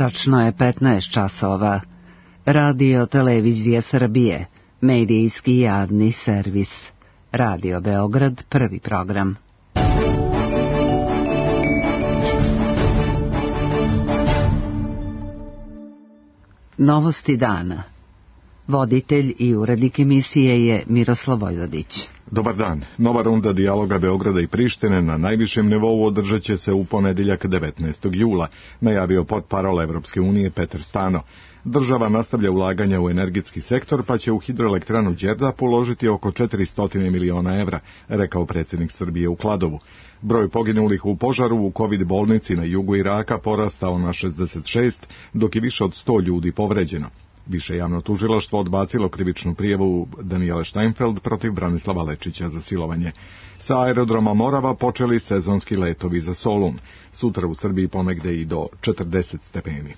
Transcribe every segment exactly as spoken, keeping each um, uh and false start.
Tačno je petnaest časova. Radio Televizija Srbije, medijski javni servis. Radio Beograd, prvi program. Novosti dana. Voditelj i urednik emisije je Miroslav Vojvodić. Dobar dan. Nova runda dijaloga Beograda i Prištine na najvišem nivou održat će se u ponedeljak devetnaestog jula, najavio portparol Evropske unije Petar Stano. Država nastavlja ulaganja u energetski sektor, pa će u hidroelektranu Đerdap uložiti oko četiristo miliona evra, rekao predsjednik Srbije u Kladovu. Broj poginulih u požaru u kovid bolnici na jugu Iraka porastao na šezdeset šest, dok je više od sto ljudi povređeno. Više javno tužilaštvo odbacilo krivičnu prijavu Danijele Steinfeld protiv Branislava Lečića za silovanje. Sa aerodroma Morava počeli sezonski letovi za Solun. Sutra u Srbiji ponegde i do četrdeset stepeni.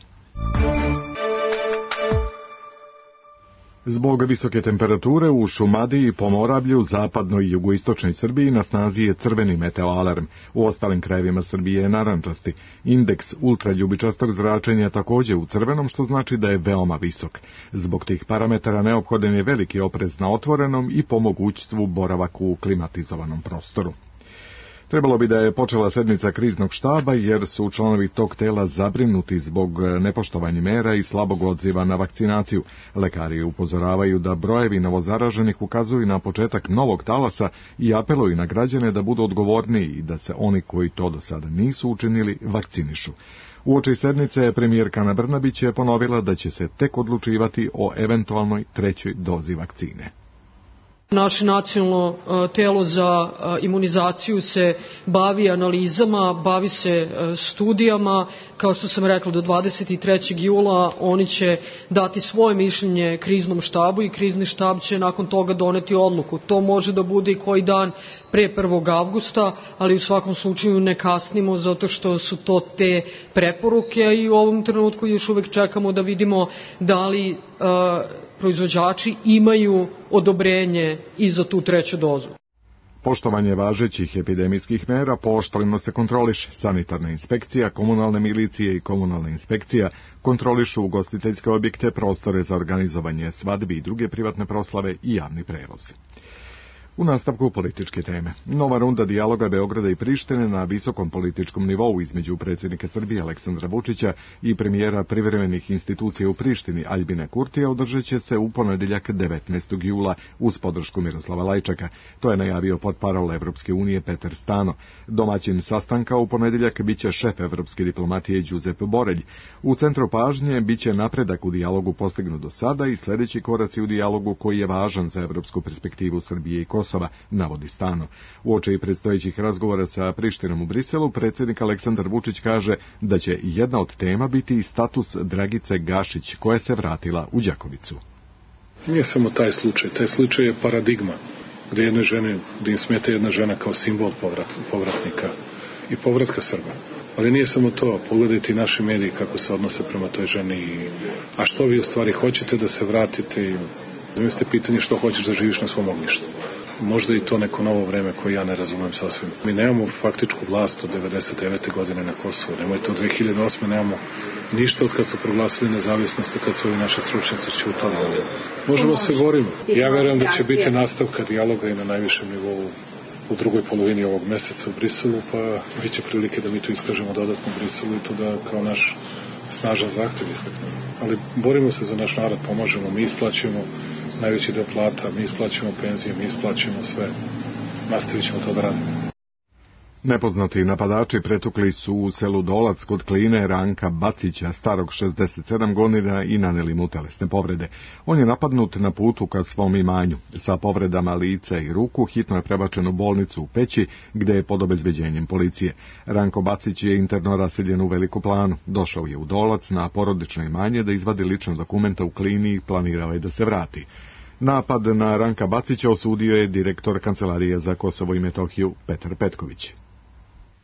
Zbog visoke temperature u Šumadiji, Pomoravlju, zapadnoj i jugoistočnoj Srbiji na snazi je crveni meteoalarm. U ostalim krajevima Srbije je narančasti. Indeks ultraljubičastog zračenja također u crvenom, što znači da je veoma visok. Zbog tih parametara neophodan je veliki oprez na otvorenom i po mogućstvu boravak u klimatizovanom prostoru. Trebalo bi da je počela sedmica kriznog štaba, jer su članovi tog tela zabrinuti zbog nepoštovanja mera i slabog odziva na vakcinaciju. Lekari upozoravaju da brojevi novozaraženih ukazuju na početak novog talasa i apeluju na građane da budu odgovorniji i da se oni koji to do sada nisu učinili vakcinišu. Uoči sednice premijerka Ana Brnabić je ponovila da će se tek odlučivati o eventualnoj trećoj dozi vakcine. Naše nacionalno telo za imunizaciju se bavi analizama, bavi se studijama. Kao što sam rekla, do dvadeset trećeg jula oni će dati svoje mišljenje kriznom štabu i krizni štab će nakon toga doneti odluku. To može da bude i koji dan pre prvog avgusta, ali u svakom slučaju ne kasnimo, zato što su to te preporuke i u ovom trenutku još uvek čekamo da vidimo da li uh, proizvođači imaju odobrenje i za tu treću dozu. Poštovanje važećih epidemijskih mera pooštreno se kontroliše. Sanitarna inspekcija, komunalne milicije i komunalna inspekcija kontrolišu ugostiteljske objekte, prostore za organizovanje svadbi i druge privatne proslave i javni prevoz. U nastavku političke teme. Nova runda dijaloga Beograda i Prištine na visokom političkom nivou između predsjednika Srbije Aleksandra Vučića i premijera privremenih institucija u Prištini Aljbina Kurtija održat će se u ponedeljak devetnaestog jula uz podršku Miroslava Lajčaka. To je najavio portparol Evropske unije Petar Stano. Domaćin sastanka u ponedeljak biće šef evropske diplomatije Đuzep Borelj. U centru pažnje biće napredak u dijalogu postignut do sada i sljedeći koraci u dijalogu koji je važan za evropsku perspektivu Srbije i Kosova. Kosova, navodi Stano. Uoči predstojećih razgovora sa Prištinom u Briselu, predsjednik Aleksandar Vučić kaže da će jedna od tema biti i status Dragice Gašić, koja se vratila u Đakovicu. Nije samo taj slučaj, taj slučaj je paradigma, gdje jedne žene, gdje im smeta jedna žena kao simbol povrat, povratnika i povratka Srba. Ali nije samo to, pogledajte i naši mediji kako se odnose prema toj ženi. A što vi u stvari hoćete da se vratite i zamislite pitanje što hoćeš da živiš na svom ognjištu. Možda i to neko novo vreme koje ja ne razumem sasvim. Mi nemamo faktičku vlast od devedeset devete godine na Kosovu. Nemojte od dve hiljade osme nemamo ništa od kad su proglasili nezavisnost, kad su ovi naši stručnjaci ćutali. Možemo se borimo. Ja verujem da će biti nastavka dijaloga i na najvišem nivou u drugoj polovini ovog meseca u Briselu, pa bit će prilike da mi to iskažemo dodatno u Briselu i to da kao naš snažan zahtjev istaknemo. Ali borimo se za naš narod, pomažemo, mi isplaćujemo najveći deo plata, mi isplaćujemo penzije, mi isplaćujemo sve. Nastavit ćemo to da radimo. Nepoznati napadači pretukli su u selu Dolac kod Kline Ranka Bacića, starog šezdeset sedam godina, i naneli mu telesne povrede. On je napadnut na putu ka svom imanju. Sa povredama lica i ruku hitno je prebačen u bolnicu u Peći, gde je pod obezbeđenjem policije. Ranko Bacić je interno raseljen u Veliku Planu. Došao je u Dolac na porodično imanje da izvadi lične dokumenta u Klini i planirao je da se vrati. Napad na Ranka Bacića osudio je direktor Kancelarije za Kosovo i Metohiju Petar Petković.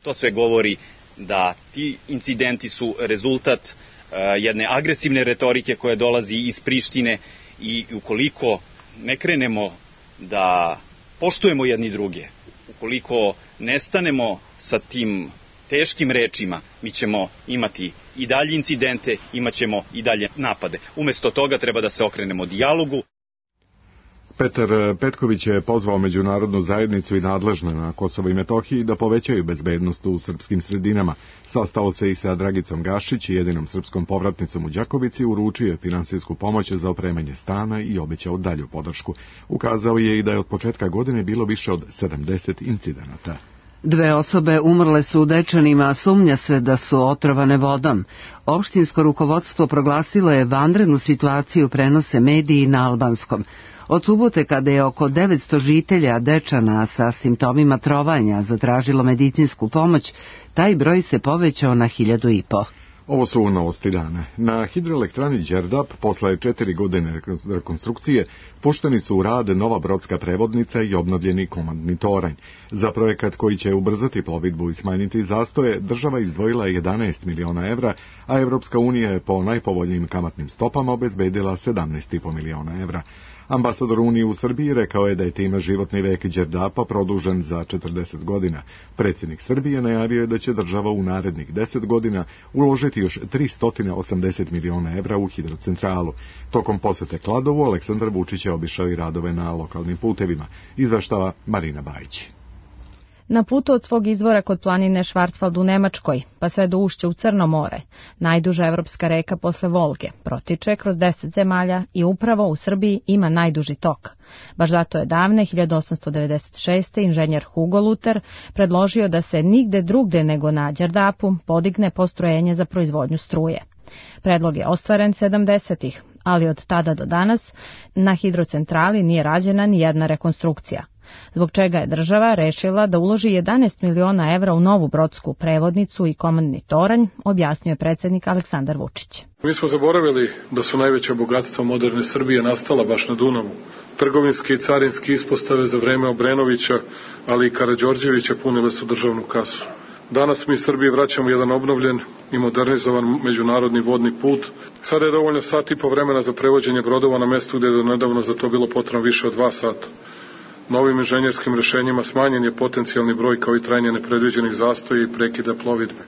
To sve govori da ti incidenti su rezultat uh, jedne agresivne retorike koja dolazi iz Prištine i ukoliko ne krenemo da poštujemo jedni druge, ukoliko ne stanemo sa tim teškim rečima mi ćemo imati i dalje incidente, imat ćemo i dalje napade. Umesto toga treba da se okrenemo dijalogu. Petar Petković je pozvao međunarodnu zajednicu i nadležne na Kosovo i Metohiji da povećaju bezbednost u srpskim sredinama. Sastao se i sa Dragicom Gašić, jedinom srpskom povratnicom u Đakovici, uručio je finansijsku pomoć za opremanje stana i obećao dalju podršku. Ukazao je i da je od početka godine bilo više od sedamdeset incidenata. Dve osobe umrle su u Dečanima, a sumnja se da su otrovane vodom. Opštinsko rukovodstvo proglasilo je vanrednu situaciju, prenose mediji na albanskom. Od subote, kada je oko devetsto žitelja Dečana sa simptomima trovanja zatražilo medicinsku pomoć, taj broj se povećao na hiljadu i po. Ovo su novosti dana. Na hidroelektrani Đerdap, posle četiri godine rekonstrukcije, pušteni su u rad nova brodska prevodnica i obnovljeni komandni toranj. Za projekat koji će ubrzati plovidbu i smanjiti zastoje, država izdvojila jedanaest miliona evra, a Evropska unija je po najpovoljnijim kamatnim stopama obezbedila sedamnaest i po miliona evra. Ambasador Unije u Srbiji rekao je da je time životni vek Đerdapa produžen za četrdeset godina. Predsjednik Srbije najavio je da će država u narednih deset godina uložiti još tristo osamdeset miliona evra u hidrocentralu. Tokom posete Kladovu, Aleksandar Vučić je obišao i radove na lokalnim putevima. Izveštava Marina Bajić. Na putu od svog izvora kod planine Švarcvald u Nemačkoj, pa sve do ušća u Crno more, najduža evropska reka posle Volge, protiče kroz deset zemalja i upravo u Srbiji ima najduži tok. Baš zato je davne hiljadu osamsto devedeset šeste. inženjer Hugo Luter predložio da se nigde drugde nego na Đerdapu podigne postrojenje za proizvodnju struje. Predlog je ostvaren sedamdesetih, ali od tada do danas na hidrocentrali nije rađena ni jedna rekonstrukcija, zbog čega je država rešila da uloži jedanaest miliona evra u novu brodsku prevodnicu i komandni toranj, objasnio je predsjednik Aleksandar Vučić. Mi smo zaboravili da su najveća bogatstva moderne Srbije nastala baš na Dunavu. Trgovinske i carinske ispostave za vreme Obrenovića, ali i Karađorđevića punile su državnu kasu. Danas mi Srbiji vraćamo jedan obnovljen i modernizovan međunarodni vodni put. Sada je dovoljno sat i po vremena za prevođenje brodova na mestu gdje je do nedavno za to bilo potrebno više od dva sata. Novim inženjerskim rešenjima smanjen je potencijalni broj kao i trajanje nepredviđenih zastoja i prekida plovidbe.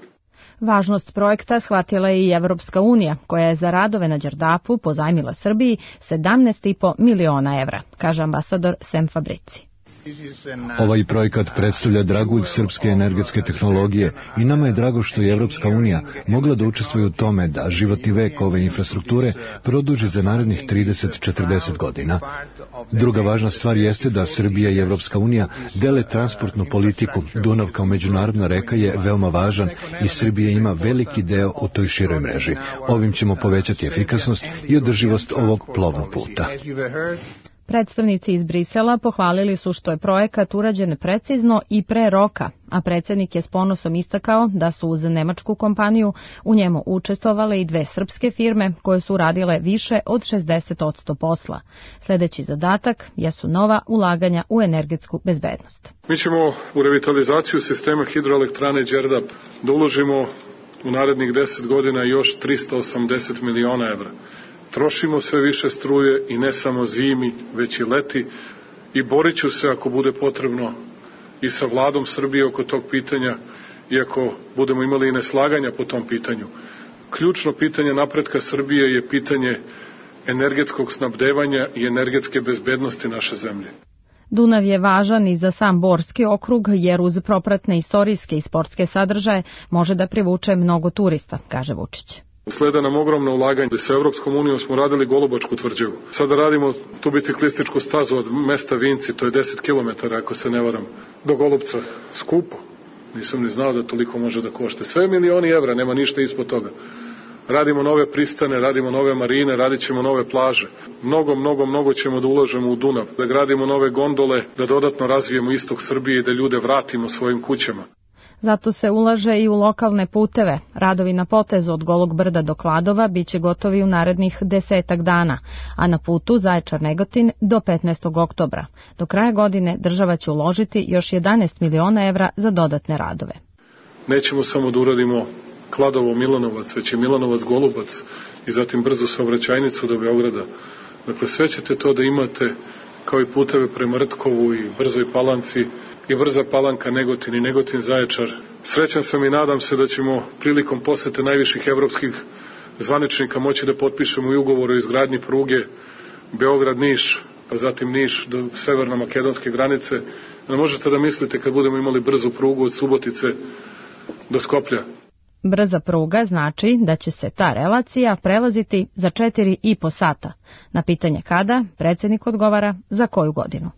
Važnost projekta shvatila je i Evropska unija, koja je za radove na Đerdapu pozajmila Srbiji sedamnaest i po miliona evra, kaže ambasador Sem Fabrici. Ovaj projekat predstavlja dragulj srpske energetske tehnologije i nama je drago što je Evropska unija mogla da učestvuje u tome da životni vek ove infrastrukture produži za narednih trideset do četrdeset godina. Druga važna stvar jeste da Srbija i Evropska unija dele transportnu politiku. Dunav kao međunarodna reka je veoma važan i Srbija ima veliki deo u toj široj mreži. Ovim ćemo povećati efikasnost i održivost ovog plovnog puta. Predstavnici iz Brisela pohvalili su što je projekat urađen precizno i pre roka, a predsjednik je s ponosom istakao da su uz nemačku kompaniju u njemu učestvovale i dve srpske firme koje su radile više od šezdeset posto posla. Sljedeći zadatak jesu nova ulaganja u energetsku bezbednost. Mi ćemo u revitalizaciju sistema hidroelektrane Đerdap da uložimo u narednih deset godina još tristo osamdeset miliona evra. Trošimo sve više struje i ne samo zimi, već i leti i borit ću se ako bude potrebno i sa vladom Srbije oko tog pitanja, iako budemo imali i neslaganja po tom pitanju. Ključno pitanje napretka Srbije je pitanje energetskog snabdevanja i energetske bezbednosti naše zemlje. Dunav je važan i za sam Borski okrug, jer uz propratne istorijske i sportske sadržaje može da privuče mnogo turista, kaže Vučić. Sleda nam ogromno ulaganje. Sa Evropskom unijom smo radili Golubačku tvrđavu. Sada radimo tu biciklističku stazu od mesta Vinci, to je deset kilometara, ako se ne varam, do Golubca. Skupo. Nisam ni znao da toliko može da košte. Sve milioni evra, nema ništa ispod toga. Radimo nove pristane, radimo nove marine, radit ćemo nove plaže. Mnogo, mnogo, mnogo ćemo da ulažemo u Dunav, da gradimo nove gondole, da dodatno razvijemo istok Srbije i da ljude vratimo svojim kućama. Zato se ulaže i u lokalne puteve. Radovi na potezu od Golog brda do Kladova biće gotovi u narednih desetak dana, a na putu Zaječar-Negotin do petnaestog oktobra. Do kraja godine država će uložiti još jedanaest miliona evra za dodatne radove. Nećemo samo da uradimo Kladovo-Milanovac, već i Milanovac-Golubac i zatim brzu saobraćajnicu do Beograda. Dakle, sve ćete to da imate kao i puteve prema Rtkovu i Brzoj Palanci i Brza Palanka, Negotin i Negotin Zaječar. Srećan sam i nadam se da ćemo prilikom posete najviših evropskih zvaničnika moći da potpišemo i ugovor o izgradnji pruge Beograd-Niš, pa zatim Niš do severno-makedonske granice. Ne možete da mislite kad budemo imali brzu prugu od Subotice do Skoplja. Brza pruga znači da će se ta relacija prelaziti za četiri i po sata. Na pitanje kada, predsjednik odgovara za koju godinu.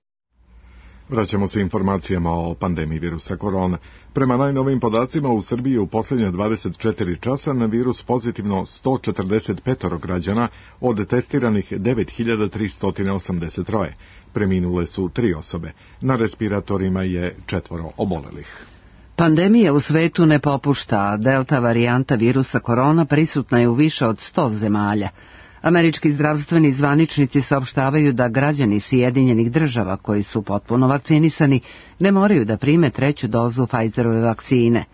Vraćamo se informacijama o pandemiji virusa korona. Prema najnovim podacima u Srbiji u posljednje dvadeset četiri časa na virus pozitivno sto četrdeset pet građana od testiranih devet hiljada tristo osamdeset tri. Preminule su tri osobe. Na respiratorima je četvoro obolelih. Pandemija u svetu ne popušta, a delta varijanta virusa korona prisutna je u više od sto zemalja. Američki zdravstveni zvaničnici saopštavaju da građani Sjedinjenih država koji su potpuno vakcinisani ne moraju da prime treću dozu Pfizerove vakcine.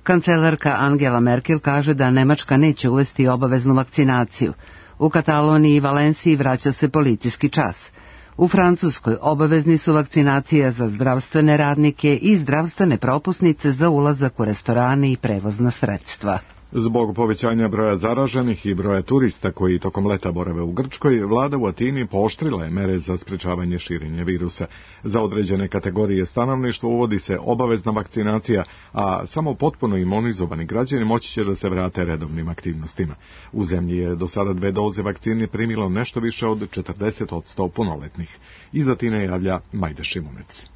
Kancelarka Angela Merkel kaže da Nemačka neće uvesti obaveznu vakcinaciju. U Kataloniji i Valenciji vraća se policijski čas. U Francuskoj obavezni su vakcinacija za zdravstvene radnike i zdravstvene propusnice za ulazak u restorane i prevozna sredstva. Zbog povećanja broja zaraženih i broja turista koji tokom leta borave u Grčkoj, vlada u Atini pooštrila je mere za sprečavanje širenja virusa. Za određene kategorije stanovništva uvodi se obavezna vakcinacija, a samo potpuno imunizovani građani moći će da se vrate redovnim aktivnostima. U zemlji je do sada dve doze vakcine primilo nešto više od četrdeset posto punoletnih. Iz Atine javlja Majda Šimunec.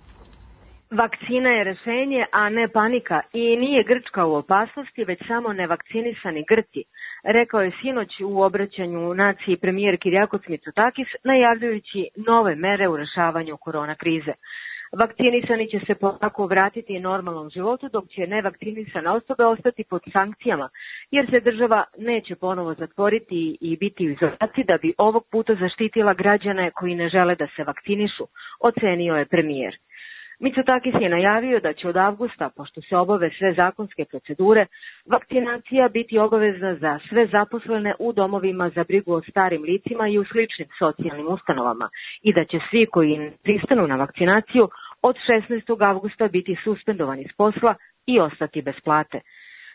Vakcina je rešenje, a ne panika i nije Grčka u opasnosti, već samo nevakcinisani Grci, rekao je sinoć u obraćanju naciji premijer Kyriakos Mitsotakis, najavljujući nove mere u rešavanju korona krize. Vakcinisani će se polako vratiti normalnom životu, dok će nevakcinisane osobe ostati pod sankcijama, jer se država neće ponovo zatvoriti i biti u izolaciji da bi ovog puta zaštitila građane koji ne žele da se vakcinišu, ocenio je premijer. Mitsotakis je najavio da će od avgusta, pošto se obave sve zakonske procedure, vakcinacija biti obavezna za sve zaposlene u domovima za brigu o starim licima i u sličnim socijalnim ustanovama i da će svi koji ne pristanu na vakcinaciju od šesnaestog avgusta biti suspendovani s posla i ostati bez plate.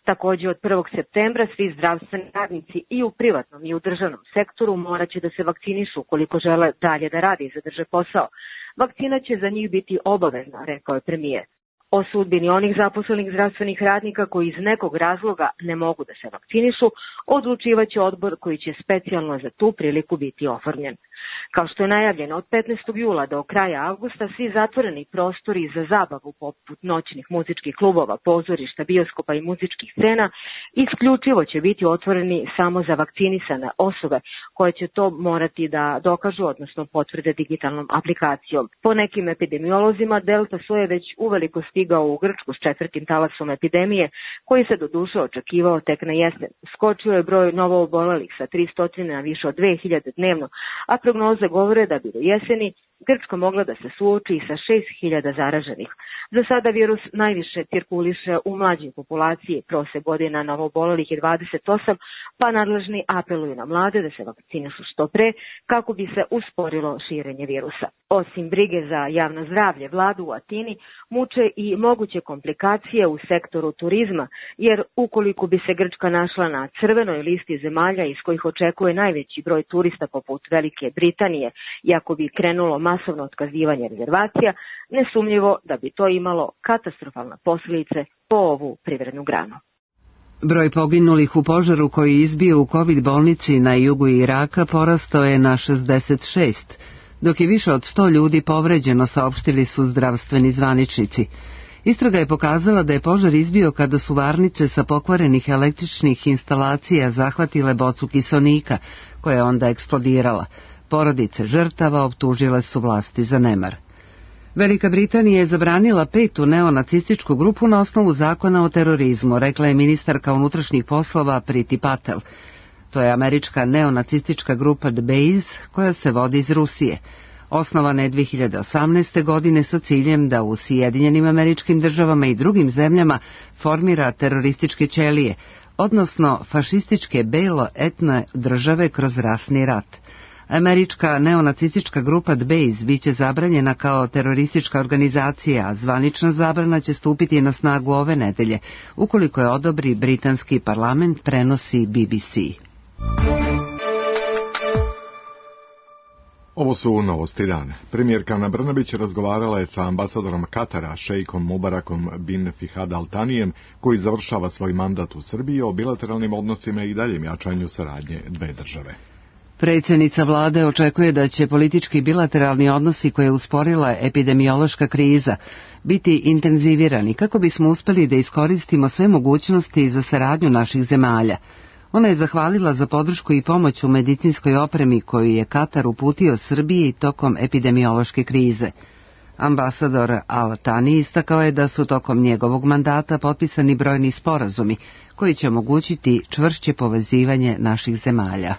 Također od prvog septembra svi zdravstveni radnici i u privatnom i u državnom sektoru morat će da se vakcinišu ukoliko žele dalje da rade i zadrže posao. Vakcina će za njih biti obavezna, rekao je premijer. O sudbini onih zaposlenih zdravstvenih radnika koji iz nekog razloga ne mogu da se vakcinišu, odlučivaće odbor koji će specijalno za tu priliku biti oformljen. Kao što je najavljeno, od petnaestog jula do kraja avgusta svi zatvoreni prostori za zabavu poput noćnih muzičkih klubova, pozorišta, bioskopa i muzičkih scena isključivo će biti otvoreni samo za vakcinisane osobe koje će to morati da dokažu, odnosno potvrde digitalnom aplikacijom. Po nekim epidemiolozima delta soje već uveliko stigao u Grčku s četvrtim talasom epidemije, koji se doduše očekivao tek na jesen. Skočio je broj novoobolelih sa tristo na više od dve hiljade dnevno, a prognoze govore da bi do jeseni Grčka mogla da se suoči sa šest hiljada zaraženih. Za sada virus najviše cirkuliše u mlađoj populaciji, prosek godina novoobolelih je dvadeset osam, pa nadležni apeluju na mlade da se vakcinišu što pre kako bi se usporilo širenje virusa. Osim brige za javno zdravlje, vladu u Atini muče i moguće komplikacije u sektoru turizma, jer ukoliko bi se Grčka našla na crvenoj listi zemalja iz kojih očekuje najveći broj turista poput Velike Britanije i ako bi krenulo masovno otkazivanje rezervacija, nesumnjivo da bi to imalo katastrofalne posljedice po ovu privrednu granu. Broj poginulih u požaru koji je izbio u COVID bolnici na jugu Iraka porastao je na šezdeset šest, dok je više od sto ljudi povređeno, saopštili su zdravstveni zvaničnici. Istraga je pokazala da je požar izbio kada su varnice sa pokvarenih električnih instalacija zahvatile bocu kiseonika, koja je onda eksplodirala. Porodice žrtava optužile su vlasti za nemar. Velika Britanija je zabranila petu neonacističku grupu na osnovu zakona o terorizmu, rekla je ministarka unutrašnjih poslova Priti Patel. To je američka neonacistička grupa The Base, koja se vodi iz Rusije. Osnovana je dve hiljade osamnaeste. godine sa ciljem da u Sjedinjenim Američkim Državama i drugim zemljama formira terorističke ćelije, odnosno fašističke belo-etne države kroz rasni rat. Američka neonacistička grupa D B A S biće zabranjena kao teroristička organizacija, a zvanična zabrana će stupiti na snagu ove nedelje, ukoliko je odobri britanski parlament, prenosi B B C. Ovo su novosti dana. Premijerka Ana Brnabić razgovarala je sa ambasadorom Katara, šejkom Mubarakom bin Fihad Al Thanijem, koji završava svoj mandat u Srbiji, o bilateralnim odnosima i daljem jačanju saradnje dve države. Predsjednica vlade očekuje da će politički bilateralni odnosi koje je usporila epidemiološka kriza biti intenzivirani kako bismo uspeli da iskoristimo sve mogućnosti za saradnju naših zemalja. Ona je zahvalila za podršku i pomoć u medicinskoj opremi koju je Katar uputio Srbiji tokom epidemiološke krize. Ambasador Al Thani istakao je da su tokom njegovog mandata potpisani brojni sporazumi koji će omogućiti čvršće povezivanje naših zemalja.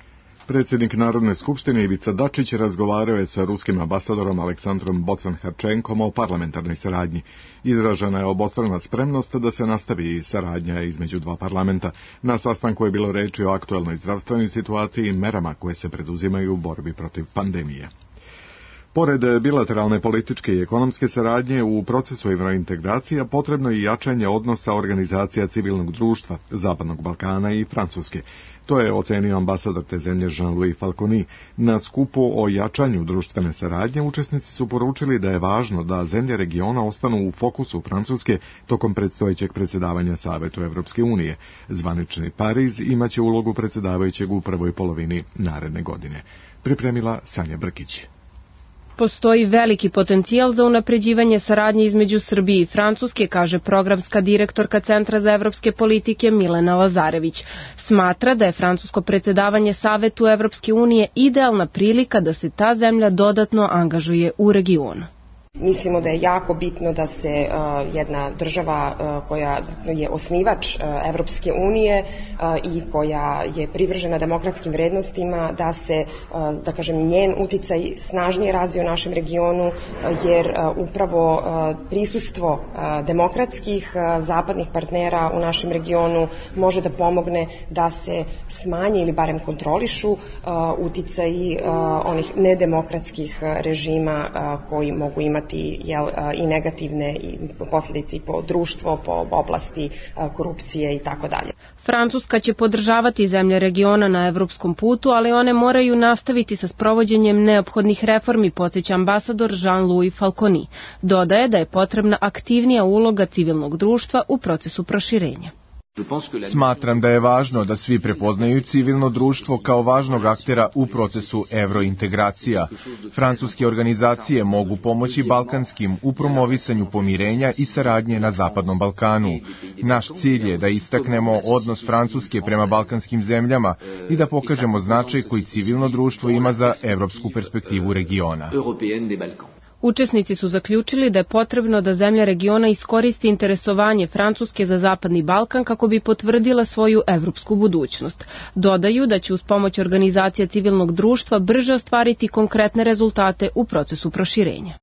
Predsjednik Narodne skupštine Ivica Dačić razgovarao je sa ruskim ambasadorom Aleksandrom Bocan-Harčenkom o parlamentarnoj saradnji. Izražena je obostrana spremnost da se nastavi saradnja između dva parlamenta. Na sastanku je bilo reči o aktuelnoj zdravstvenoj situaciji i merama koje se preduzimaju u borbi protiv pandemije. Pored bilateralne političke i ekonomske saradnje, u procesu evrointegracija potrebno je jačanje odnosa organizacija civilnog društva, Zapadnog Balkana i Francuske. To je ocenio ambasador te zemlje Jean-Louis Falconi. Na skupu o jačanju društvene saradnje učesnici su poručili da je važno da zemlje regiona ostanu u fokusu Francuske tokom predstojećeg predsjedavanja Savetu Evropske unije. Zvanični Pariz imaće ulogu predsjedavajućeg u prvoj polovini naredne godine. Pripremila Sanja Brkić. Postoji veliki potencijal za unapređivanje saradnje između Srbije i Francuske, kaže programska direktorka Centra za evropske politike Milena Lazarević. Smatra da je francusko predsjedavanje Savetu Evropske unije idealna prilika da se ta zemlja dodatno angažuje u regionu. Mislimo da je jako bitno da se uh, jedna država uh, koja je osnivač uh, Evropske unije uh, i koja je privržena demokratskim vrednostima, da se, uh, da kažem, njen uticaj snažnije razvije u našem regionu, uh, jer uh, upravo uh, prisustvo uh, demokratskih uh, zapadnih partnera u našem regionu može da pomogne da se smanje ili barem kontrolišu uh, uticaji uh, onih nedemokratskih režima uh, koji mogu imati Jel, i negativne posljedice po društvo, po oblasti korupcije i tako dalje. Francuska će podržavati zemlje regiona na evropskom putu, ali one moraju nastaviti sa sprovođenjem neophodnih reformi, podsjeća ambasador Jean-Louis Falconi. Dodaje da je potrebna aktivnija uloga civilnog društva u procesu proširenja. Smatram da je važno da svi prepoznaju civilno društvo kao važnog aktera u procesu evrointegracija. Francuske organizacije mogu pomoći balkanskim u promovisanju pomirenja i saradnje na Zapadnom Balkanu. Naš cilj je da istaknemo odnos Francuske prema balkanskim zemljama i da pokažemo značaj koji civilno društvo ima za evropsku perspektivu regiona. Učesnici su zaključili da je potrebno da zemlja regiona iskoristi interesovanje Francuske za Zapadni Balkan kako bi potvrdila svoju evropsku budućnost. Dodaju da će uz pomoć organizacija civilnog društva brže ostvariti konkretne rezultate u procesu proširenja.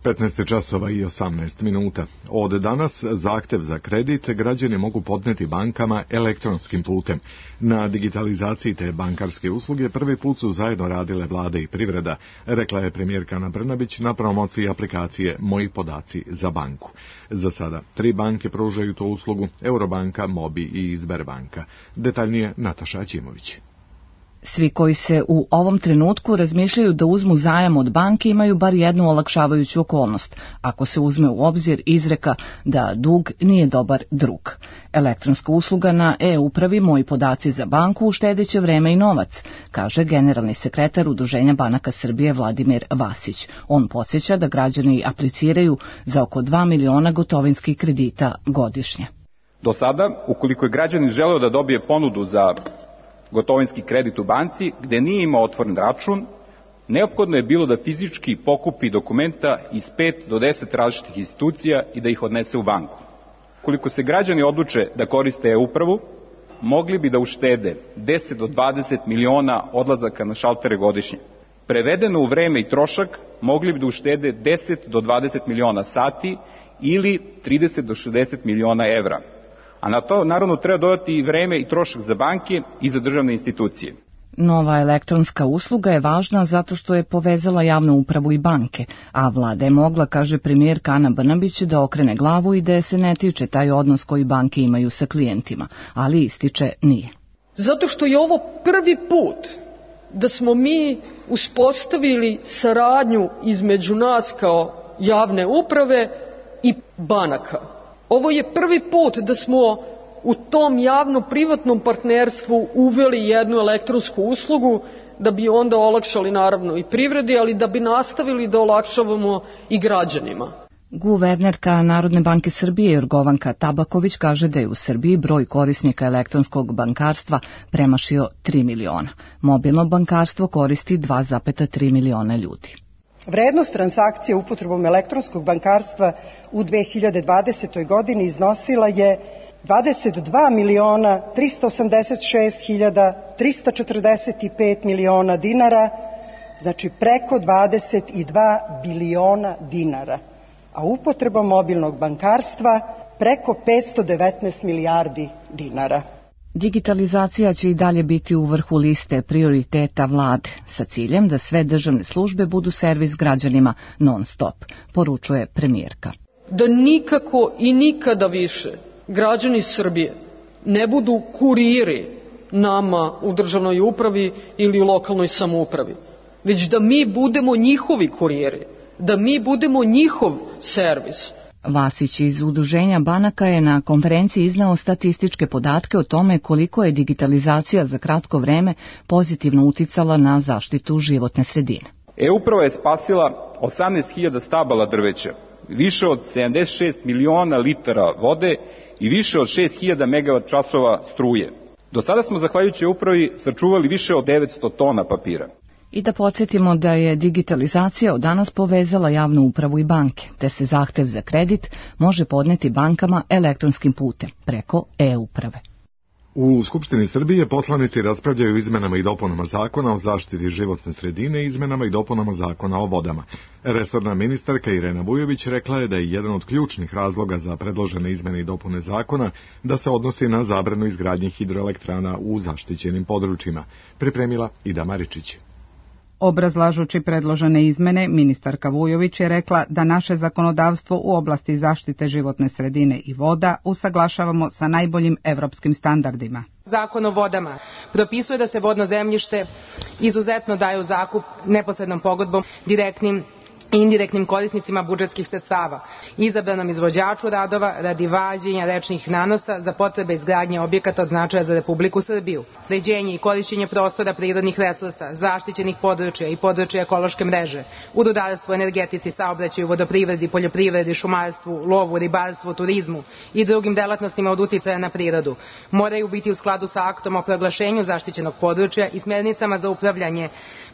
petnaest časova i osamnaest minuta. Od danas zahtev za kredit građani mogu podneti bankama elektronskim putem. Na digitalizaciji te bankarske usluge prvi put su zajedno radile vlade i privreda, rekla je premijerka Ana Brnabić na promociji aplikacije Moji podaci za banku. Za sada tri banke pružaju tu uslugu, Eurobanka, Mobi i Sberbanka. Detaljnije Nataša Aćimović. Svi koji se u ovom trenutku razmišljaju da uzmu zajam od banke imaju bar jednu olakšavajuću okolnost, ako se uzme u obzir izreka da dug nije dobar drug. Elektronska usluga na e-upravi Moji podaci za banku uštedeće vreme i novac, kaže generalni sekretar Udruženja banaka Srbije Vladimir Vasić. On podsjeća da građani apliciraju za oko dva miliona gotovinskih kredita godišnje. Do sada, ukoliko je građanin želeo da dobije ponudu za gotovinski kredit u banci, gde nije imao otvoren račun, neophodno je bilo da fizički pokupi dokumenta iz pet do deset različitih institucija i da ih odnese u banku. Ukoliko se građani odluče da koriste e-upravu, mogli bi da uštede deset do dvadeset miliona odlazaka na šaltere godišnje. Prevedeno u vreme i trošak, mogli bi da uštede deset do dvadeset miliona sati ili trideset do šezdeset miliona evra. A na to naravno treba dodati i vreme i trošak za banke i za državne institucije. Nova elektronska usluga je važna zato što je povezala javnu upravu i banke, a vlada je mogla, kaže premijerka Ana Brnabić, da okrene glavu i da se ne tiče taj odnos koji banke imaju sa klijentima, ali ističe nije. Zato što je ovo prvi put da smo mi uspostavili saradnju između nas kao javne uprave i banaka. Ovo je prvi put da smo u tom javno-privatnom partnerstvu uveli jednu elektronsku uslugu da bi onda olakšali naravno i privredi, ali da bi nastavili da olakšavamo i građanima. Guvernerka Narodne banke Srbije Jorgovanka Tabaković kaže da je u Srbiji broj korisnika elektronskog bankarstva premašio tri miliona. Mobilno bankarstvo koristi dva zarez tri miliona ljudi. Vrednost transakcije upotrebom elektronskog bankarstva u dve hiljade dvadesetoj. godini iznosila je dvadeset dva miliona trista osamdeset šest hiljada trista četrdeset pet miliona dinara, znači preko dvadeset dva biliona dinara, a upotrebom mobilnog bankarstva preko petsto devetnaest milijardi dinara. Digitalizacija će i dalje biti u vrhu liste prioriteta vlade, sa ciljem da sve državne službe budu servis građanima non stop, poručuje premijerka. Da nikako i nikada više građani Srbije ne budu kuriri nama u državnoj upravi ili u lokalnoj samoupravi, već da mi budemo njihovi kuriri, da mi budemo njihov servis. Vasić iz Udruženja banaka je na konferenciji izneo statističke podatke o tome koliko je digitalizacija za kratko vreme pozitivno uticala na zaštitu životne sredine. E-uprava je spasila osamnaest hiljada stabala drveća, više od sedamdeset šest miliona litara vode i više od šest hiljada megavat časova struje. Do sada smo, zahvaljujući upravi, sačuvali više od devetsto tona papira. I da podsjetimo da je digitalizacija od danas povezala javnu upravu i banke, te se zahtev za kredit može podneti bankama elektronskim putem, preko e-uprave. U Skupštini Srbije poslanici raspravljaju o izmenama i dopunama zakona o zaštiti životne sredine i izmenama i dopunama zakona o vodama. Resorna ministarka Irena Vujović rekla je da je jedan od ključnih razloga za predložene izmene i dopune zakona da se odnosi na zabranu izgradnje hidroelektrana u zaštićenim područjima. Pripremila Ida Maričić. Obrazlažući predložene izmene, ministarka Vujović je rekla da naše zakonodavstvo u oblasti zaštite životne sredine i voda usaglašavamo sa najboljim evropskim standardima. Zakon o vodama propisuje da se vodno zemljište izuzetno daje u zakup neposrednom pogodbom direktnim i indirektnim korisnicima budžetskih sredstava, izabranom izvođaču radova radi vađenja rečnih nanosa za potrebe izgradnje objekata od značaja za Republiku Srbiju, uređenje i korišćenje prostora prirodnih resursa, zaštićenih područja i područja ekološke mreže, u rudarstvu, energetici, saobraćaju, vodoprivredi, poljoprivredi, šumarstvu, lovu, ribarstvu, turizmu i drugim delatnostima od uticaja na prirodu, moraju biti u skladu sa aktom o proglašenju zaštićenog područja i smjernicama za upravljanje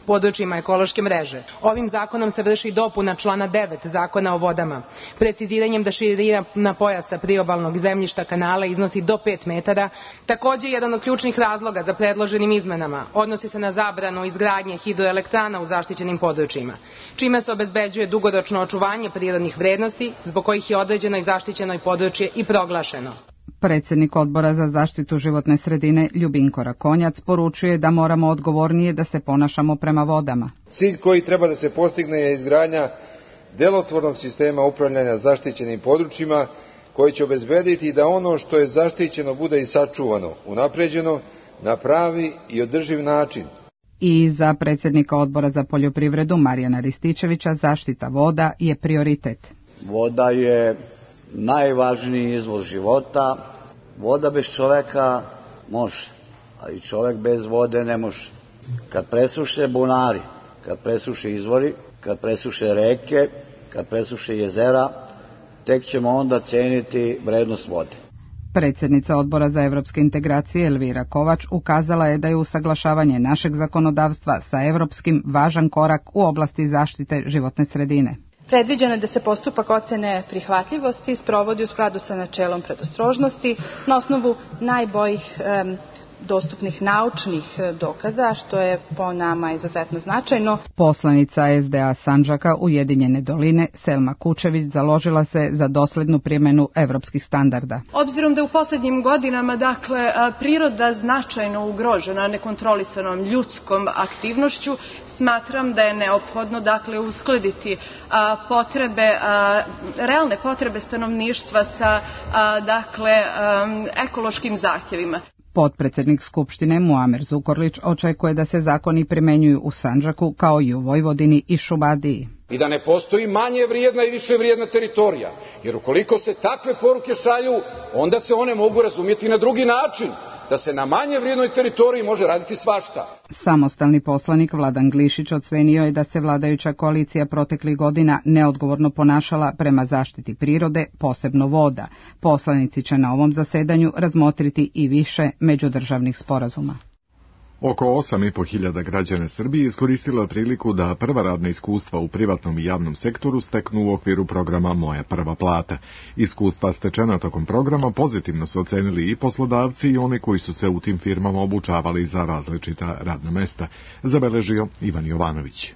područjima ekološke mreže. Ovim zakonom se vrši dopuna člana devet Zakona o vodama, preciziranjem da širina pojasa priobalnog zemljišta kanala iznosi do pet metara. Takođe, jedan od ključnih razloga za predloženim izmenama odnosi se na zabranu izgradnje hidroelektrana u zaštićenim područjima, čime se obezbeđuje dugoročno očuvanje prirodnih vrednosti, zbog kojih je određeno i zaštićeno područje i proglašeno. Predsjednik Odbora za zaštitu životne sredine Ljubinko Rakonjac poručuje da moramo odgovornije da se ponašamo prema vodama. Cilj koji treba da se postigne je izgradnja delotvornog sistema upravljanja zaštićenim područjima koji će obezbediti da ono što je zaštićeno bude i sačuvano, unapređeno na pravi i održiv način. I za predsjednika Odbora za poljoprivredu Marijana Rističevića zaštita voda je prioritet. Voda je najvažniji izvor života. Voda bez čoveka može, a i čovek bez vode ne može. Kad presuše bunari, kad presuše izvori, kad presuše reke, kad presuše jezera, tek ćemo onda ceniti vrednost vode. Predsjednica Odbora za evropske integracije Elvira Kovač ukazala je da je usaglašavanje našeg zakonodavstva sa evropskim važan korak u oblasti zaštite životne sredine. Predviđeno je da se postupak ocene prihvatljivosti sprovodi u skladu sa načelom predostrožnosti na osnovu najboljih um, dostupnih naučnih dokaza, što je po nama izuzetno značajno. Poslanica S D A Sandžaka Ujedinjene doline Selma Kučević založila se za doslednu primjenu evropskih standarda. Obzirom da je u posljednjim godinama dakle, priroda značajno ugrožena nekontrolisanom ljudskom aktivnošću, smatram da je neophodno dakle, uskladiti a, potrebe, a, realne potrebe stanovništva sa a, dakle, a, ekološkim zahtjevima. Potpredsjednik Skupštine Muamer Zukorlić očekuje da se zakoni primenjuju u Sandžaku kao i u Vojvodini i Šumadiji. I da ne postoji manje vrijedna i više vrijedna teritorija, jer ukoliko se takve poruke šalju, onda se one mogu razumjeti na drugi način, da se na manje vrijednoj teritoriji može raditi svašta. Samostalni poslanik Vladan Glišić ocenio je da se vladajuća koalicija proteklih godina neodgovorno ponašala prema zaštiti prirode, posebno voda. Poslanici će na ovom zasedanju razmotriti i više međudržavnih sporazuma. Oko osam i po hiljada građana Srbije iskoristila priliku da prva radna iskustva u privatnom i javnom sektoru steknu u okviru programa Moja prva plata. Iskustva stečena tokom programa pozitivno su ocenili i poslodavci i oni koji su se u tim firmama obučavali za različita radna mesta, zabeležio Ivan Jovanović.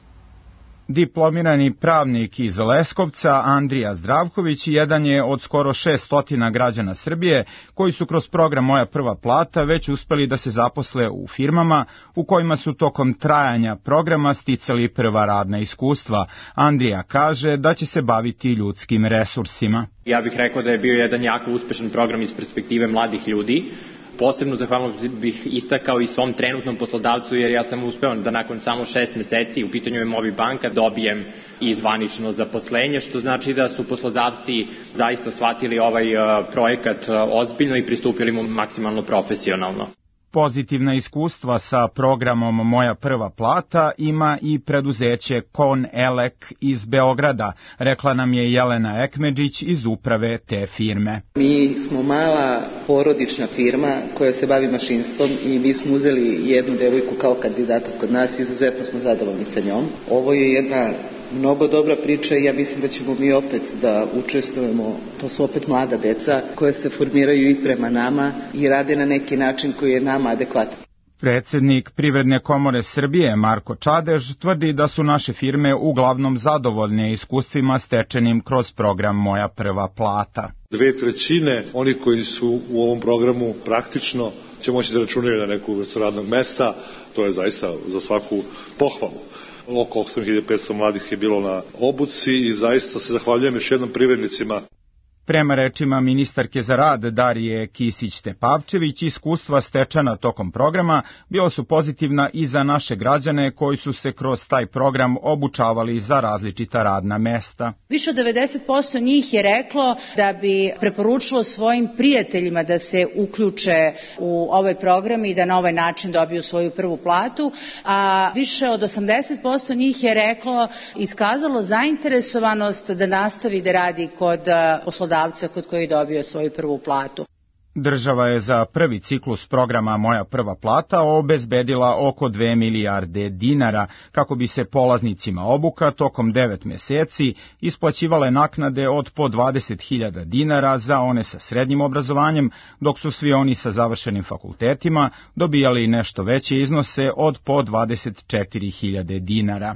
Diplomirani pravnik iz Leskovca, Andrija Zdravković, jedan je od skoro šesnaest građana Srbije koji su kroz program Moja prva plata već uspeli da se zaposle u firmama u kojima su tokom trajanja programa sticali prva radna iskustva. Andrija kaže da će se baviti ljudskim resursima. Ja bih rekao da je bio jedan jako uspešan program iz perspektive mladih ljudi. Posebno zahvalno bih istakao i svom trenutnom poslodavcu, jer ja sam uspeo da nakon samo šest meseci, u pitanju je Mobi banka, dobijem i zvanično zaposlenje, što znači da su poslodavci zaista shvatili ovaj projekat ozbiljno i pristupili mu maksimalno profesionalno. Pozitivna iskustva sa programom Moja prva plata ima i preduzeće Kon Elek iz Beograda, rekla nam je Jelena Ekmedžić iz uprave te firme. Mi smo mala porodična firma koja se bavi mašinstvom i mi smo uzeli jednu devojku kao kandidata kod nas i izuzetno smo zadovoljni sa njom. Ovo je jedna mnogo dobra priča i ja mislim da ćemo mi opet da učestvujemo, to su opet mlada deca koja se formiraju i prema nama i rade na neki način koji je nama adekvatan. Predsednik Privredne komore Srbije Marko Čadež tvrdi da su naše firme uglavnom zadovoljne iskustvima stečenim kroz program Moja prva plata. Dve trećine oni koji su u ovom programu praktično će moći da računaju na neku vrstu radnog mesta, to je zaista za svaku pohvalu. Oko osam hiljada petsto mladih je bilo na obuci i zaista se zahvaljujem još jednom privrednicima. Prema rečima ministarke za rad Darije Kisić-Tepavčević, iskustva stečena tokom programa bila su pozitivna i za naše građane koji su se kroz taj program obučavali za različita radna mesta. Više od devedeset posto njih je reklo da bi preporučilo svojim prijateljima da se uključe u ovaj program i da na ovaj način dobiju svoju prvu platu, a više od osamdeset posto njih je reklo, iskazalo zainteresovanost da nastavi da radi kod poslodavca kod koji je dobio svoju prvu platu. Država je za prvi ciklus programa Moja prva plata obezbedila oko dve milijarde dinara kako bi se polaznicima obuka tokom devet meseci isplaćivale naknade od po dvadeset hiljada dinara za one sa srednjim obrazovanjem, dok su svi oni sa završenim fakultetima dobijali nešto veće iznose od po dvadeset četiri hiljade dinara.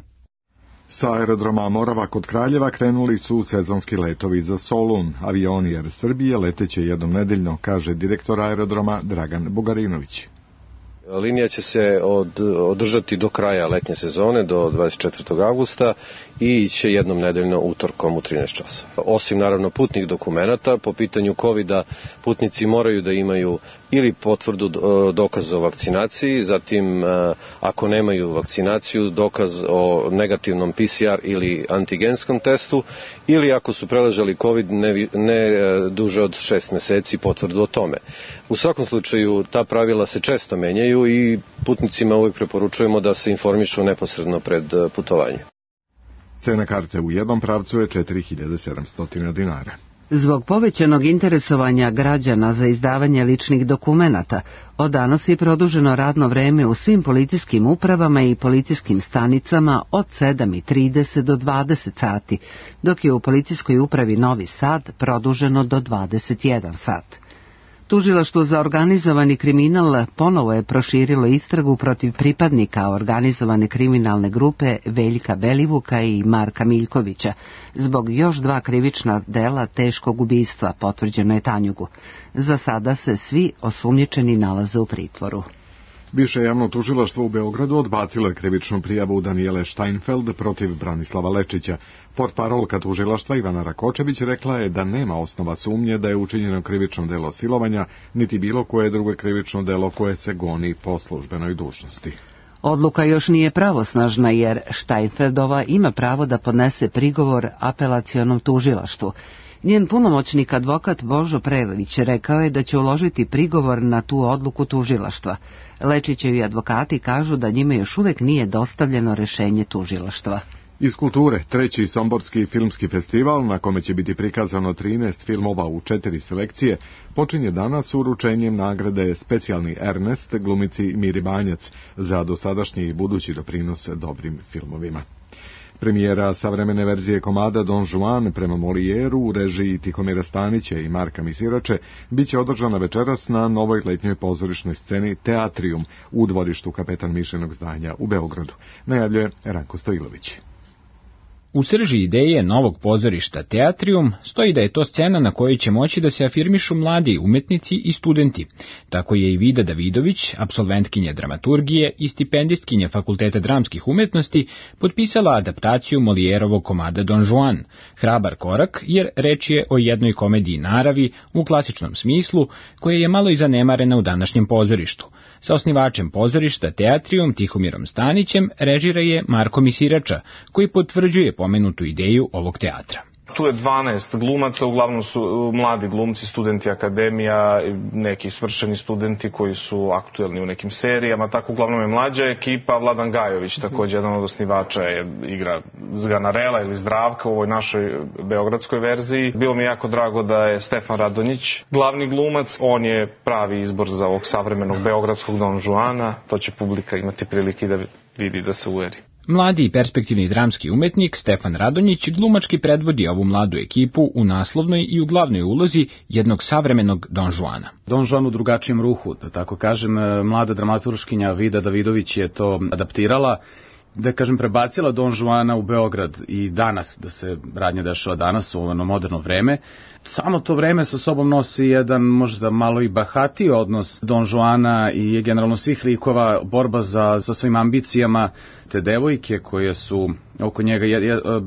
Sa aerodroma Morava kod Kraljeva krenuli su sezonski letovi za Solun. Avioni Air Srbije leteće jednom nedeljno, kaže direktor aerodroma Dragan Bugarinović. Linija će se od, održati do kraja letnje sezone, do dvadeset četvrtog avgusta i će jednom nedeljno utorkom u trinaest časova. Osim naravno putnih dokumenata, po pitanju kovida putnici moraju da imaju ili potvrdu dokaz o vakcinaciji, zatim ako nemaju vakcinaciju dokaz o negativnom P C R ili antigenskom testu, ili ako su preležali COVID ne, ne duže od šest meseci potvrdu o tome. U svakom slučaju ta pravila se često menjaju i putnicima uvijek preporučujemo da se informišu neposredno pred putovanje. Cena karte u jednom pravcu je četiri hiljade sedamsto dinara. Zbog povećanog interesovanja građana za izdavanje ličnih dokumenata, od danas je produženo radno vreme u svim policijskim upravama i policijskim stanicama od sedam i trideset do dvadeset sati, dok je u policijskoj upravi Novi Sad produženo do dvadeset jedan sat. Tužilaštvo za organizovani kriminal ponovo je proširilo istragu protiv pripadnika organizovane kriminalne grupe Veljka Belivuka i Marka Miljkovića zbog još dva krivična dela teškog ubistva, potvrđeno je Tanjugu. Za sada se svi osumnjičeni nalaze u pritvoru. Više javno tužilaštvo u Beogradu odbacilo je krivičnu prijavu Danijele Steinfeld protiv Branislava Lečića. Portparolka tužilaštva Ivana Rakočević rekla je da nema osnova sumnje da je učinjeno krivično delo silovanja, niti bilo koje drugo krivično delo koje se goni po službenoj dužnosti. Odluka još nije pravosnažna jer Steinfeldova ima pravo da podnese prigovor apelacionom tužilaštvu. Njen punomoćnik advokat Božo Prelević rekao je da će uložiti prigovor na tu odluku tužilaštva. Lečićevi advokati kažu da njima još uvek nije dostavljeno rešenje tužilaštva. Iz kulture, treći Somborski filmski festival, na kome će biti prikazano trinaest filmova u četiri selekcije, počinje danas uručenjem nagrade Specijalni Ernest glumici Miri Banjac za dosadašnji i budući doprinos dobrim filmovima. Premijera savremene verzije komada Don Juan prema Molijeru u režiji Tihomira Stanića i Marka Misirače biće održana večeras na novoj letnjoj pozorišnoj sceni Teatrium u dvorištu Kapetan Mišenog zdanja u Beogradu, najavljuje Ranko Stojilović. U srži ideje novog pozorišta Teatrium stoji da je to scena na kojoj će moći da se afirmišu mladi umetnici i studenti. Tako je i Vida Davidović, apsolventkinja dramaturgije i stipendistkinja Fakulteta dramskih umetnosti, potpisala adaptaciju Molijerovog komada Don Juan. Hrabar korak, jer reč je o jednoj komediji naravi u klasičnom smislu, koja je malo i zanemarena u današnjem pozorištu. Sa osnivačem pozorišta Teatrium Tihomirom Stanićem režira je Marko Misirača, koji potvrđuje pomenutu ideju ovog teatra. Tu je dvanaest glumaca, uglavnom su mladi glumci, studenti akademija, neki svršeni studenti koji su aktuelni u nekim serijama, tako uglavnom je mlađa ekipa. Vladan Gajović, također jedan od osnivača, je igra Zganarela ili Zdravka u ovoj našoj beogradskoj verziji. Bilo mi jako drago da je Stefan Radonjić glavni glumac, on je pravi izbor za ovog savremenog beogradskog Don Juana, to će publika imati prilike da vidi, da se uveri. Mladi i perspektivni dramski umetnik Stefan Radonjić glumački predvodi ovu mladu ekipu u naslovnoj i u glavnoj ulozi jednog savremenog Don Juana. Don Juan u drugačijem ruhu, da tako kažem, mlada dramaturškinja Vida Davidović je to adaptirala, da kažem prebacila Don Juana u Beograd i danas, da se radnja dešava danas u ono moderno vreme. Samo to vreme sa sobom nosi jedan možda malo i bahatiji odnos Don Juana i generalno svih likova, borba za, za svojim ambicijama, te devojke koje su oko njega,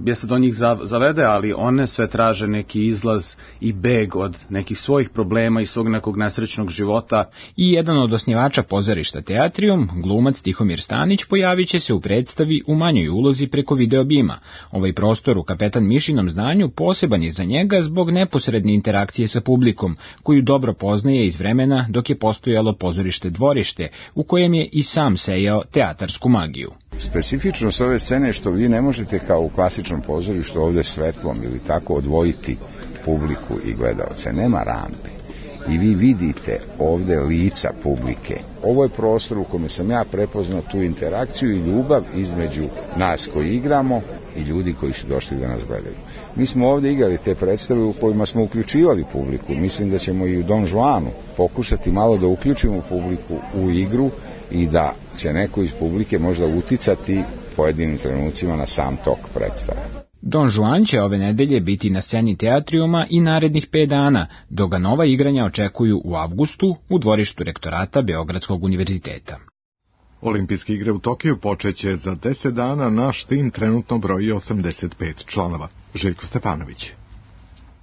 jeste do njih zavede, ali one sve traže neki izlaz i beg od nekih svojih problema i svog nekog nesrećnog života. I jedan od osnivača pozorišta Teatrium, glumac Tihomir Stanić, pojavit će se u predstavi u manjoj ulozi preko videobima. Ovaj prostor u Kapetan Mišinom zdanju poseban je za njega zbog neposredne interakcije sa publikom, koju dobro poznaje iz vremena dok je postojalo pozorište Dvorište, u kojem je i sam sejao teatarsku magiju. Specifičnost ove scene je što vi ne možete kao u klasičnom pozorištu ovde svetlom ili tako odvojiti publiku i gledalce. Nema rampe. I vi vidite ovde lica publike. Ovo je prostor u kome sam ja prepoznao tu interakciju i ljubav između nas koji igramo i ljudi koji su došli da nas gledaju. Mi smo ovde igrali te predstave u kojima smo uključivali publiku. Mislim da ćemo i u Don Juanu pokušati malo da uključimo publiku u igru i da će neko iz publike možda uticati pojedinim trenucima na sam tok predstave. Don Juan će ove nedelje biti na sceni Teatriuma i narednih pet dana, dok ga nova igranja očekuju u avgustu u dvorištu rektorata Beogradskog univerziteta. Olimpijske igre u Tokiju počeće za deset dana, naš tim trenutno broji osamdeset pet članova. Željko Stepanović.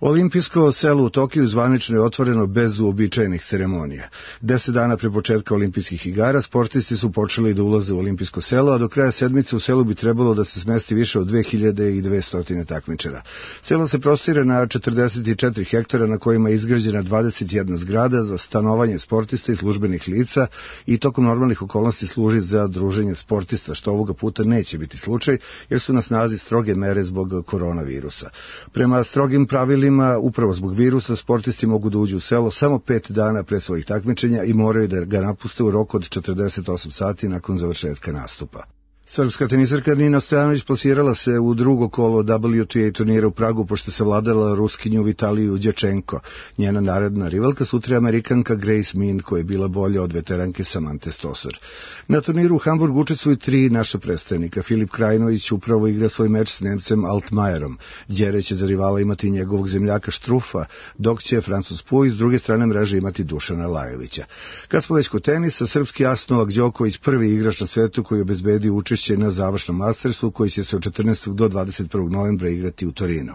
Olimpijsko selo u Tokiju zvanično je otvoreno bez uobičajenih ceremonija. Deset dana pre početka olimpijskih igara sportisti su počeli da ulaze u olimpijsko selo, a do kraja sedmice u selu bi trebalo da se smesti više od dve hiljade dvesta takmičara. Selo se prostire na četrdeset četiri hektara na kojima je izgrađena dvadeset jedna zgrada za stanovanje sportista i službenih lica i tokom normalnih okolnosti služi za druženje sportista, što ovoga puta neće biti slučaj jer su na snazi stroge mere zbog koronavirusa. Prema strogim pravilima, upravo zbog virusa, sportisti mogu da uđu u selo samo pet dana pre svojih takmičenja i moraju da ga napuste u roku od četrdeset osam sati nakon završetka nastupa. Srpska tenisarka Nina Stojanović plasirala se u drugo kolo W T A turnira u Pragu pošto se vladala Ruskinju Vitaliju Đečenko. Njena naredna rivalka sutra je Amerikanka Grace Min koja je bila bolja od veteranke Samante Stosur. Na turniru u Hamburgu učestvuju tri naša predstavnika. Filip Krajinović upravo igra svoj meč s Nemcem Altmajerom. Đere će za rivala imati njegovog zemljaka Štrufa, dok će Francuz Puj s druge strane mreže imati Dušana Lajovića. Kad smo već kod tenisa, srpski as Novak Đoković prvi igrač na svetu koji obezbedi učešće na završnom Mastersu koji će se od četrnaestog do dvadeset prvog novembra igrati u Torinu.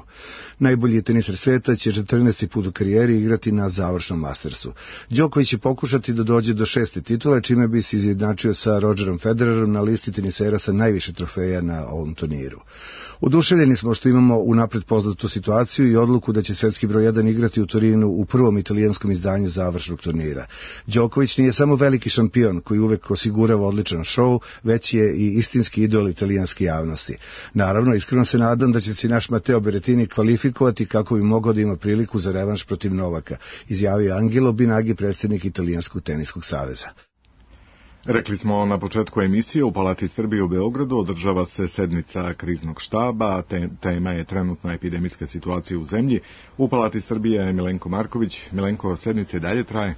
Najbolji tenisar sveta će četrnaesti put u karijeri igrati na završnom Mastersu. Đoković će pokušati da dođe do šeste titule, čime bi se izjednačio sa Rodgerom Federerom na listi tenisera sa najviše trofeja na ovom turniru. Oduševljeni smo što imamo unapred poznatu situaciju i odluku da će svetski broj jedan igrati u Torinu u prvom italijanskom izdanju završnog turnira. Đoković nije samo veliki šampion koji uvek osigurava odličan šou, već je i istinski idol italijanske javnosti. Naravno, iskreno se nadam da će se naš Matteo Berrettini kvalifikovati kako bi mogao da ima priliku za revanš protiv Novaka, izjavio Angelo Binagi, predsjednik Italijanskog teniskog saveza. Rekli smo na početku emisije, u Palati Srbije u Beogradu održava se sednica kriznog štaba, te, tema je trenutna epidemijska situacija u zemlji. U Palati Srbije je Milenko Marković. Milenko, sednica i dalje traje?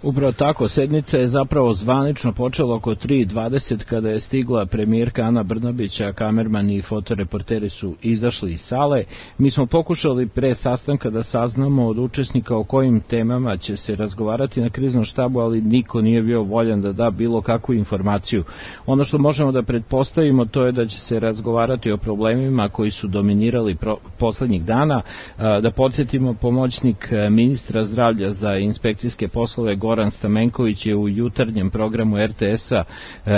Upravo tako, sednica je zapravo zvanično počela oko tri i dvadeset kada je stigla premijerka Ana Brnabić, a kamerman i fotoreporteri su izašli iz sale. Mi smo pokušali pre sastanka da saznamo od učesnika o kojim temama će se razgovarati na kriznom štabu, ali niko nije bio voljan da da bilo kakvu informaciju. Ono što možemo da pretpostavimo to je da će se razgovarati o problemima koji su dominirali pro, poslednjih dana. Da podsjetimo, pomoćnik ministra zdravlja za inspekcijske poslove Goran Stamenković je u jutarnjem programu R T S-a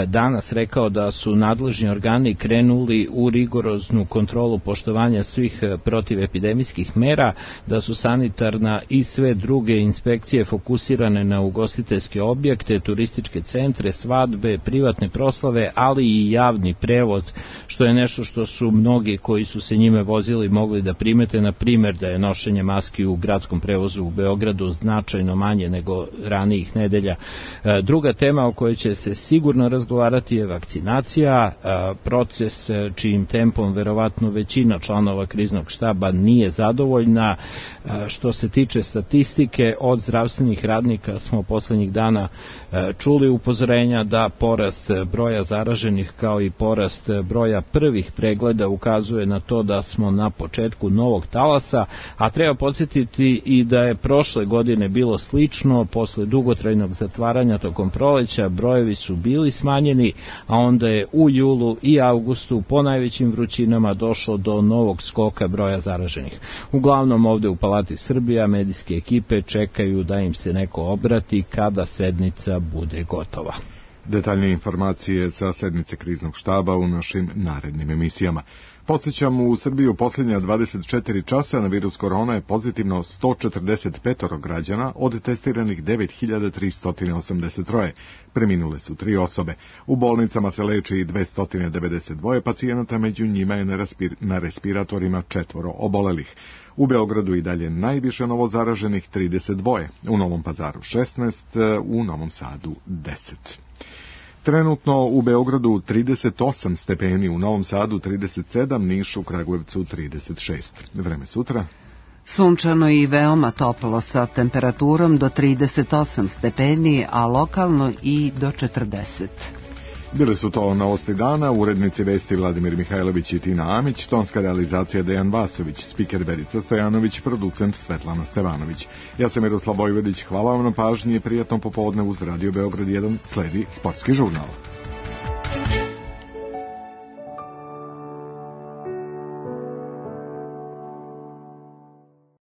danas rekao da su nadležni organi krenuli u rigoroznu kontrolu poštovanja svih protivepidemijskih mera, da su sanitarna i sve druge inspekcije fokusirane na ugostiteljske objekte, turističke centre, svadbe, privatne proslave, ali i javni prevoz, što je nešto što su mnogi koji su se njime vozili mogli da primete, na primjer da je nošenje maski u gradskom prevozu u Beogradu značajno manje nego ranijih nedelja. Druga tema o kojoj će se sigurno razgovarati je vakcinacija, proces čijim tempom verovatno većina članova kriznog štaba nije zadovoljna. Što se tiče statistike, od zdravstvenih radnika smo poslednjih dana čuli upozorenja da porast broja zaraženih kao i porast broja prvih pregleda ukazuje na to da smo na početku novog talasa, a treba podsjetiti i da je prošle godine bilo slično. Posle dugotrajnog zatvaranja tokom proleća brojevi su bili smanjeni, a onda je u julu i avgustu po najvećim vrućinama došlo do novog skoka broja zaraženih. Uglavnom ovde u Palati Srbija medijske ekipe čekaju da im se neko obrati kada sednica bude gotova. Detaljnije informacije sa sednice kriznog štaba u našim narednim emisijama. Podsjećam, u Srbiji u posljednja dvadeset četiri časa na virus korona je pozitivno sto četrdeset pet građana, od testiranih devet hiljada tristo osamdeset tri. Preminule su tri osobe. U bolnicama se leči dvesta devedeset dva pacijenata, među njima je na, respir, na respiratorima četvoro obolelih. U Beogradu i dalje najviše novozaraženih trideset dva, u Novom Pazaru šesnaest, u Novom Sadu deset. Trenutno u Beogradu trideset osam stepeni, u Novom Sadu trideset sedam, Nišu, Kragujevcu trideset šest. Vreme sutra? Sunčano i veoma toplo sa temperaturom do trideset osam stepeni, a lokalno i do četrdeset. Bile su to novosti dana, urednici vesti Vladimir Mihajlović i Tina Amić, tonska realizacija Dejan Vasović, spiker Verica Stojanović, producent Svetlana Stevanović. Ja sam Miroslav Vojvodić, hvala vam na pažnji i prijatno popodne uz Radio Beograd jedan, sledi sportski žurnal.